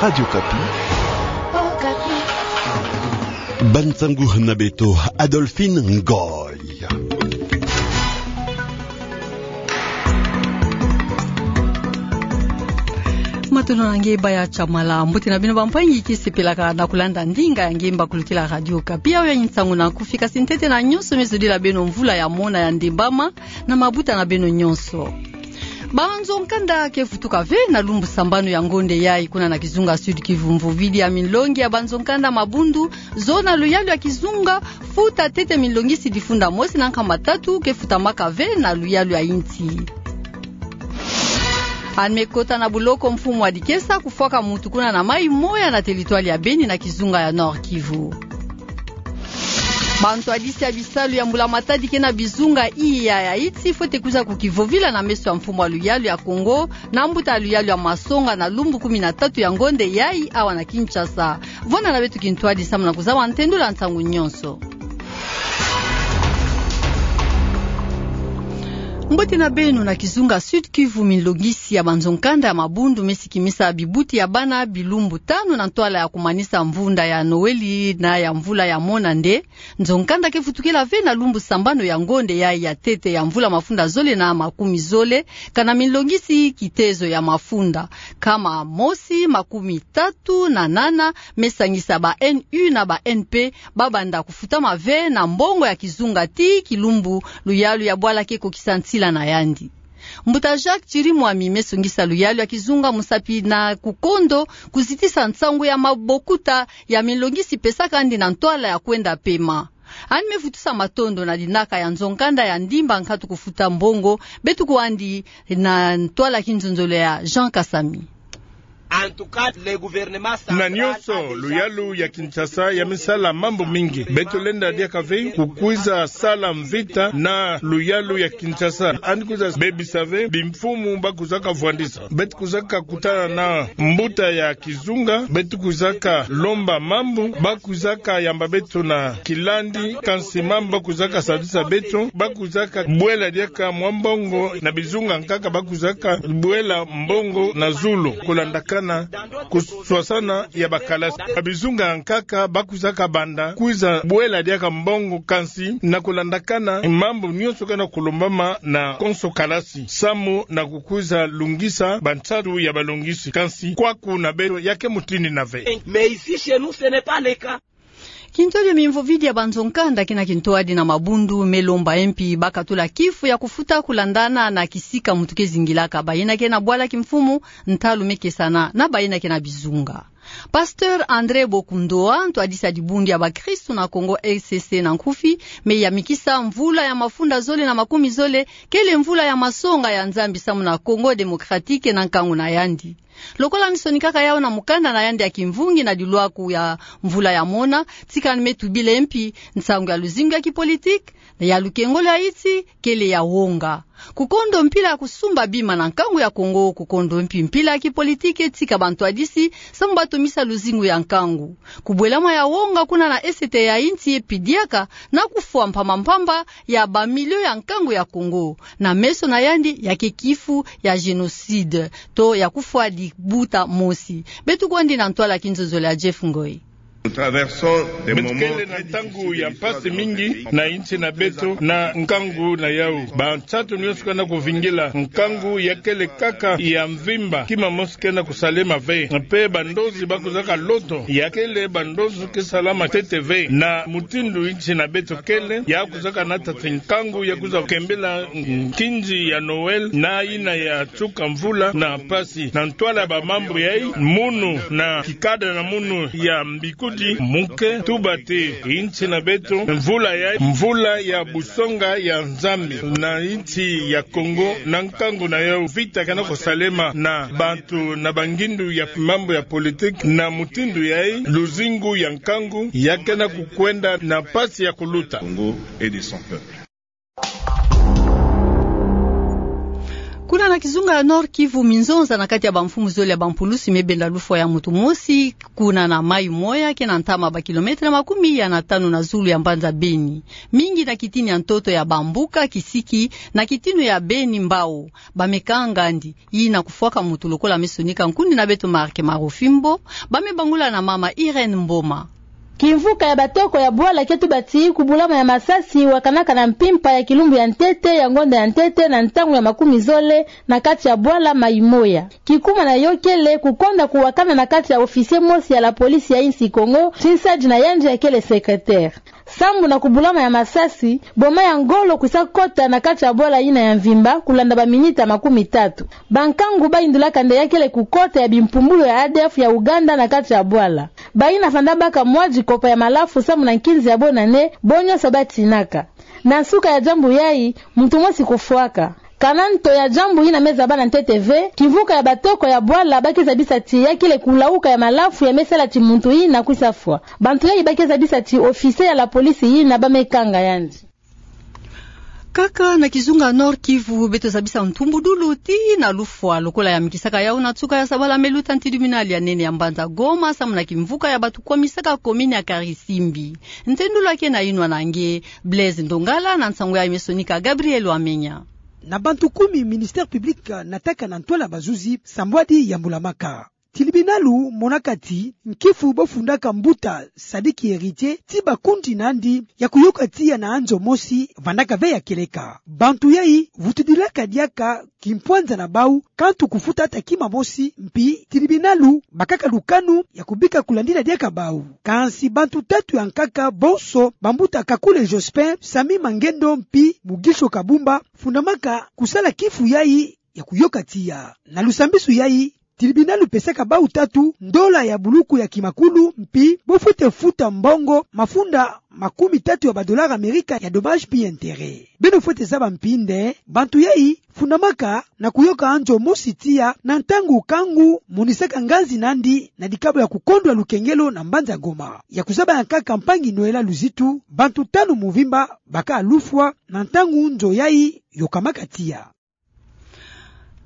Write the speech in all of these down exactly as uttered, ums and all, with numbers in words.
Radio Okapi. Okapi. Bansangu na beto, Adolphine Ngoy. Matondo na nge Baya Chamala. Mbote na bino bampangi, ke sepelaka na kulanda ndinga ya nge mbakulukila Radio Okapi. Yayo ya nsangu na kufi, kasi ntete na nyonso, me zodila beno mvula ya mona ya ndembama na mabuta na beno nyonso. Banzo-nkanda ke vutuka ve na lumbu sambanu ya ngonde yai kuna na kizunga Sud-Kivu. Mvovidi ya minlongi ya banzo-nkanda mabundu zo na luyalu ya kizunga futa tete minlongisi difunda mosi na nkama tatu ke futamaka ve na luyalu ya insi. Ani me kota na buloko mfumu wa dikesa kufwaka muntu kuna na mai moya na teritwari ya Beni na kizunga ya Nord-Kivu. Bantwadisi ya bisalu ya mbula-matadi ke na bizunga iya ya insi fwete kwiza kukivovila na meso ya mfumu wa luyalu ya Kongo na mbuta ya luyalu ya Masonga na lumbu kumi na tatu ya ngonde yai awa na Kinshasa. Vwanda na beto kintwadi samu na kuzaba ntendula nsangu nyonso. Mbote na beno. Na kizunga Sud-Kivu, minlongisi ya banzo-nkanda ya mabundu me sikimisa bibuti ya bana bilumbu tanu na ntwala ya kumanisa mvunda ya Noeli na ya mvula ya mona nde. Nzo-nkanda ke vutukila ve na lumbu sambanu ya ngonde yai ya tete ya mvula mafunda zole na makumi zole, kana minlongisi kitezo ya mafunda nkama mosi makumi tatu na nana me sangisa ba N U na ba N P, ba banda kufutama ve na mbongo ya kizunga ti kilumbu luyalu ya bwala ke kokisa nsila na yandi. Mbuta Jacques Chirimwami me songisa luyalu ya kizunga musapi na kukondo kuzitisa nsangu ya mabokuta ya minlongisi pesaka yandi na ntwala ya kwenda pema. Ani me vutusa matondo na dinaka ya nzo-nkanda ya ndimba nkatu kufuta mbongo. Beto kwandi na ntwala kinzonzolo ya Jean Kasami. Na nyonso, luyalu ya Kinshasa ya me sala mambu mingi. Beto lenda diaka ve kukwiza sala mvita na luyalu ya Kinshasa. Ani kwiza bebisa ve bimfumu ba kwizaka vwandisa. Beto kwizaka kutana na mbuta ya kizunga. Beto kwizaka lomba mambu. Ba kwizaka yamba beto na kilandi, kansi mambu ba kwizaka sadisa beto, ba kwizaka bwela diaka mwa mbongo na bizunga nkaka, ba kwizaka bwela mbongo na zulu, kulandakana kuswasana ya bakalasi. Bizunga nkaka ba kwizaka banda kwiza bwela diaka mbongo, kansi na kulandakana mambu nyonso ke na kulombama na konso kalasi, samu na kukwiza lungisa bansatu ya balongisi. Kansi kwaku na beto ya ke mutindu na ve. Mais ici, chez nous, ce n'est pas le cas. Kintwadi ya mimvovidi ya banzo-nkanda ke na kintwadi na mabundu me lomba mpi ba katula kifu ya kufuta kulandana na kisika muntu ke zingilaka. Bayina ke na bwala kimfumu, ntalu me kesana na bayina ke na bizunga. Pasteur André Bokundoa, ntwadisi ya dibundu ya bakristu na Kongo, R C C na nkufi, me yamikisa mvula ya mafunda zole na makumi zole kele mvula ya masonga ya Nzambi samu na Congo Démocratique na nkangu na yandi. Lokola ni sonikaka yawu na mukanda na yandi ya kimvungi na dilwaku ya mvula ya mona, tika ni me tubila mpi nsangu ya luzingu ya kipolitiki, ya lukengolo ya insi, kele ya wonga. Kukondo mpila ya kusumba bima na nkangu ya Kongo, kukondo mpi mpila ya kipolitiki, tika bantwadisi samu ba tomisa luzingu ya nkangu. Kubwelama ya wonga kuna na esete ya insi ye pidiaka na kufwa mpamba mpamba ya bamilio ya nkangu ya Kongo, na meso na yandi ya ke kifu ya génocide, to ya kufwa dibuta mosi. Beto kwandi na ntwala kinzonzolo ya Jeff Ngoy. Beto kele na ntangu ya mpasi mingi na insi na beto na nkangu na yawu. Bansatu nyonso ke na kuvingila, nkangu ya kele kaka ya mvimba, kima mosi ke na kusalema ve. Mpe bandozi ba kwizaka loto, ya kele bandozi ke salama ntete ve. Na mutindu insi na beto kele, ya kwizaka nata ti nkangu ya kwiza kembela nkinzi ya Noël na yina ya nsuka mvula na mpasi. Na ntwala ya bamambu yayi, munu na kikada na munu ya mbikudi mu ke tuba ti insi na beto, mvula yayi, mvula ya busonga ya Nzambi na insi ya Kongo, na nkangu na yawu, vita ke na kusalema na bantu na bangindu ya mambu ya politique. Na mutindu yayi, luzingu ya nkangu ya ke na kukwenda na mpasi ya kuluta. Congo et de son peuple. Kuna na Kizunga ya Nord-Kivu, minzonza na kati ya bamfumu zole ya bampulusi me benda lufwa ya muntu mosi, kuna na Mai-Moya, ke na ntama bakilometre makumi ya na tanu na zulu ya mbanza Beni. Mingi na kitini ya ntoto ya Bambuka, Kisiki, na kitini ya Beni, Mbao, ba me kanga yandi. Yina kufwaka muntu lokola me sonika nkuni na beto Marc Marofimbo, ba me bangula na mama Irène Mboma. Kimvuka ya batoko ya bwala ke tuba ti kubulama ya masasi wakanaka na mpimpa ya kilumbu ya ntete ya ngonda ya ntete na ntangu ya makumi zole na kati ya bwala Mai-Moya. Kikuma na yo kele kukonda kuwakana na kati ya officier mosi ya la police ya insi Kongo, ti nsadi na yandi ya kele secrétaire. Sambu na kubulama ya masasi, boma ya ngolo kwisa kota na kati ya bwala yina ya mvimba, kulanda baminita makumi tatu. Bankangu bayindulaka nde ya kele kukota ya bimpumbulu ya A D F ya Uganda na kati ya bwala. Bayina fanda baka mwa dikopa ya malafu sambu na nkinzi ya bonane, bo nyonso batinaka. Na nsuka ya diambu yayi, muntu mosi kufwaka. Kana nto ya diambu yina me zaba na ntete ve, kimvuka ya batoko ya bwala ba ke zabisa ti ya kele kulauka ya malafu ya me sala ti muntu yina kwisa fwa. Bantu yayi ba ke zabisa ti officier ya la police yina ba me kanga yandi. Kaka na kizunga Nord-Kivu, beto zabisa ntumbudulu ti na lufwa lokola ya mikisaka yau na nsuka ya sabala me luta na tribunal ya nene ya mbanza Goma, sambu na kimvuka ya bantu kwamisaka commune ya Karisimbi. Ntendula ke na yinwa na nge Blaise Ndongala, na nsangu yayi me sonika Gabriel Wamenya. Na bantu kumi ministère public nataka na ntwala bazuzi, sambwadi ya mbula maka. Tilibinalu monaka ti nkifu bo fundaka mbuta Sadiki Héritier ti bakundi nandi ya kuyoka tiya na anzo mosi vandaka ve ya kieleka. Bantu yayi vutudilaka diaka kimpwanza na bau, kantu kufuta ata kima mosi, mpi tilibinalu bakaka lukanu ya kubika kulandila diaka bau. Kansi bantu tatu ya nkaka bonso, bambuta Kakule Jospin, Sami Mangendo mpi Mugisho Kabumba, fundamaka kusala kifu yayi ya kuyoka tiya. Na lusambisu yayi, tilibinalu pesaka bau tatu ndola ya buluku ya kimakulu, mpi bo fwete futa mbongo mafunda makumi tatu ya badollars Amerika ya dommages puis intérêts. Beno fwete zaba mpi nde bantu yayi fundamaka na kuyoka anzo mosi tiya na ntangu kangu monisaka nganzi nandi na dikabo ya kukondwa lukengelo na mbanza Goma. Ya kuzaba ya nkaka mpangi Noëlla Luzitu, bantu tanu muvimba baka lufwa na ntangu nzo yayi yokamaka tiya.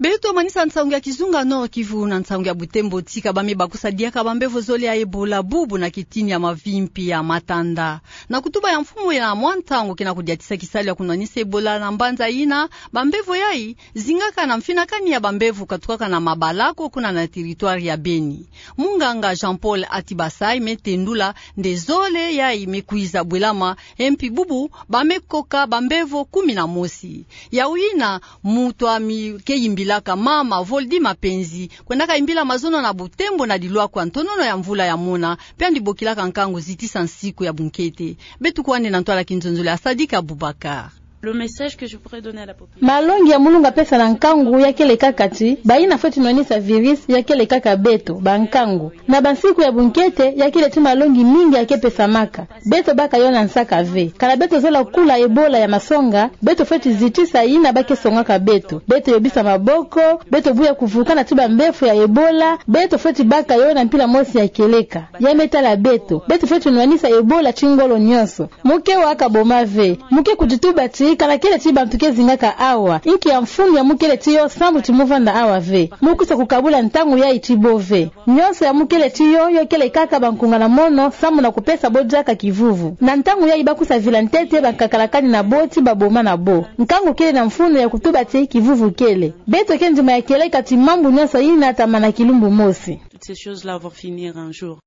Beto manisa nsangu ya kizunga Nord-Kivu na nsangu ya butembo ti ka ba me bakusa diaka bambevo zole ya Ebola bubu na kitini ya mavimpi ya Matanda. Na kutuba ya mfumu ya mwa ntangu ke na kudiatisa kisalu ya kunwanisa Ebola na mbanza yina, bambevo yayi zingaka na mfinakani ya bambevo katukaka na mabalako kuna na territoire ya Beni. Munganga Jean-Paul Atibasai me tendula nde zole yayi me kwiza bwelama, mpi bubu ba me koka bambevo kumi na mosi. Yau yina, muntu a mi ke yimbilaka mama Voldy Mapenzi, kwendaka yimbila mazono na butembo na dilwakwa ntonono ya mvula ya mona, mpe yandi bokilaka nkangu zitisa nsiku ya bunkete. Beto kwandi na ntwala kinzonzolo ya Sadiki Abubakar. Le message que je pourrais donner à la population. Malongi ya mu lunga pesa na nkangu ya kele kaka ti, bayina fweti nwanisa virus ya kele kaka beto, bankangu. Na bansiku ya bunkete, ya kele ti malongi mingi ya ke pesamaka. Beto baka yo na nsaka ve. Kana beto zola kula Ebola ya masonga, beto fweti zitisa yina ba ke songaka beto. Beto yobisa maboko, beto buya kuvukana ti bambevo ya Ebola, beto fweti baka yo na mpila mosi ya kieleka. Ya me tala beto, beto fweti nwanisa Ebola ti ngolo nyonso. Mu ke waka boma ve. Mu ke kudituba ti, kana kele ti bantu ke zingaka awa. Inki ya mfunu ya mu kele ti yo sambu ti mu vanda awa ve. Mu kwisa kukabula ntangu yayi ti bo ve. Nyonso ya mu kele ti yo, yo kele kaka bankunga na mono, sambu na kupesa bo diaka kivuvu. Na ntangu yayi ba kwisa vila ntete bankakala kani na bo ti baboma na bo. Nkangu kele na mfunu ya kutuba ti kivuvu kele. Beto ke ndima ya kieleka ti mambu nyonso yina tamana kilumbu mosi. Toutes ces choses-là vont finir un jour.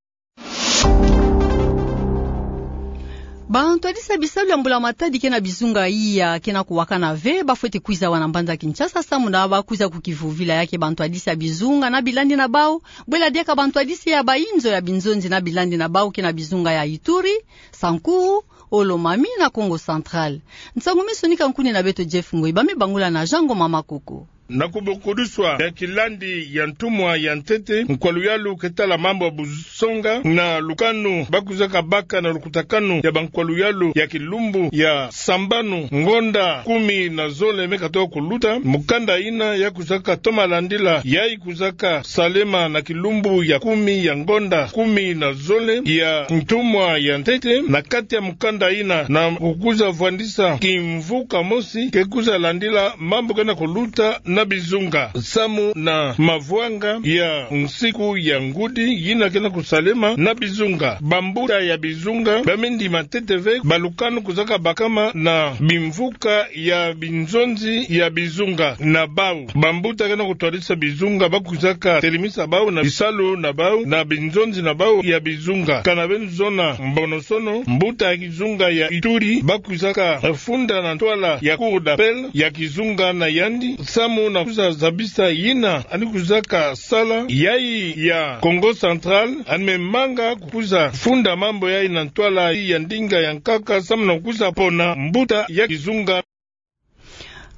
Bantwadisi ya bisalu ya mbula matadi ke na bizunga iya ke na kuwakana ve, ba fweti kwiza awa na mbanza Kinshasa, sambu na ba kwiza kukivovila. Ya ke bantwadisi ya bizunga na bilandi na bau, bwela diaka bantwadisi ya bayinzo ya binzonzi na bilandi na bau ke na bizunga ya Ituri, Sankuru, Olomami na Kongo Central. Nsangu me sonika nkuni na beto Jeff Ngoi, ba me bangula na Jean Ngoma Makoko. Na kubokodiswa ya kilandi ya ntumwa ya ntete, nkwa luyalu ke tala mambu ya busonga na lukanu ba kwizaka baka na lukutakanu ya bankwa luyalu ya kilumbu ya sambanu ngonda kumi na zole me katoka kuluta, mukanda yina ya kwizaka toma landila yayi kwizaka salema na kilumbu ya kumi ya ngonda kumi na zole ya ntumwa ya ntete. Na kati ya mukanda yina na kukwiza vwandisa kimvuka mosi ke kwiza landila mambu ke na kuluta na bizunga, samu na mavwanga ya nsiku ya ngudi yina ke na kusalema na bizunga. Bambuta ya bizunga ba me ndima ntete ve balukanu kwizaka bakama na bimvuka ya binzonzi ya bizunga na bau. Bambuta ke na kutwadisa bizunga ba kwizaka telemisa bau na bisalu na bau na binzonzi na bau ya bizunga. Kana beno zona mbono-sono, mbuta ya kizunga ya Ituri ba kwizaka funda na ntwala ya Cour d'appel ya kizunga na yandi, samu na kwiza zabisa yina yandi kwizaka sala. Yayi ya Kongo Central yandi me manga kukwiza funda mambu yayi na ntwala ya ndinga ya nkaka, samu na kwiza pona mbuta ya kizunga.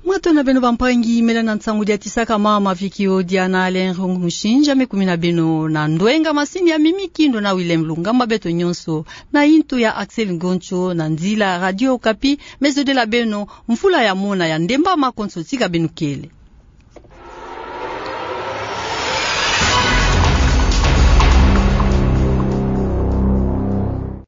Mwato na beno bampangi, mela na nsangu dia tisaka mama Vicky Odia na Alain Rung Mushinja me kumina beno na ndwenga masini ya Mimi Kindo na Willem Lungamba, beto nyonso na intu ya Axel Ngoncho na nzila Radio Okapi me zodila beno mfula ya mona ya ndemba makonso. Tika beno kele.